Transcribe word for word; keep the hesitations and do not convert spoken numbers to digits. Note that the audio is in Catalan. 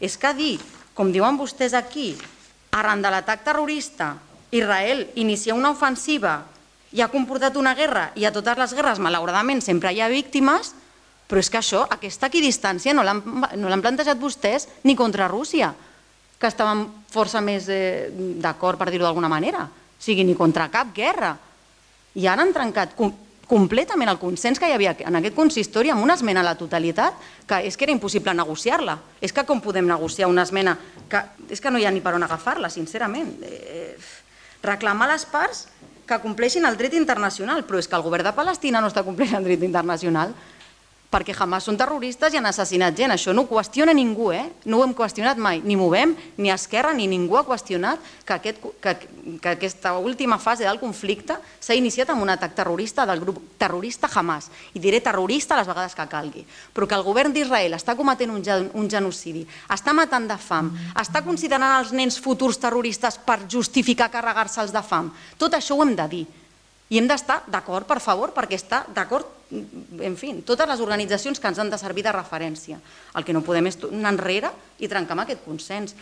És que dir, com diuen vostès aquí, arran de l'atac terrorista, Israel inicia una ofensiva i ha comportat una guerra, i a totes les guerres, malauradament, sempre hi ha víctimes, però és que això, aquesta equidistància no l'han plantejat vostès ni contra Rússia, que estaven força més d'acord, per dir-ho d'alguna manera. O sigui, ni contra cap guerra. I ara han trencat completament el consens que hi havia en aquest consistori amb una esmena a la totalitat, que és que era impossible negociar-la. És que com podem negociar una esmena que és que no hi ha ni per on agafar-la, sincerament. Reclamar a les parts que compleixin el dret internacional, però és que el govern de Palestina no està complint el dret internacional, perquè Hamas són terroristes i han assassinat gent. Això no ho qüestiona ningú, eh? No ho hem qüestionat mai. Ni Movem, ni Esquerra, ni ningú ha qüestionat que aquesta última fase del conflicte s'ha iniciat amb un atac terrorista del grup terrorista Hamas. I diré terrorista les vegades que calgui. Però que el govern d'Israel està cometent un genocidi, està matant de fam, està considerant els nens futurs terroristes per justificar carregar-se'ls de fam. Tot això ho hem de dir. I hem d'estar d'acord, per favor, perquè està d'acord, en fi, totes les organitzacions que ens han de servir de referència. El que no podem és anar enrere i trencar amb aquest consens.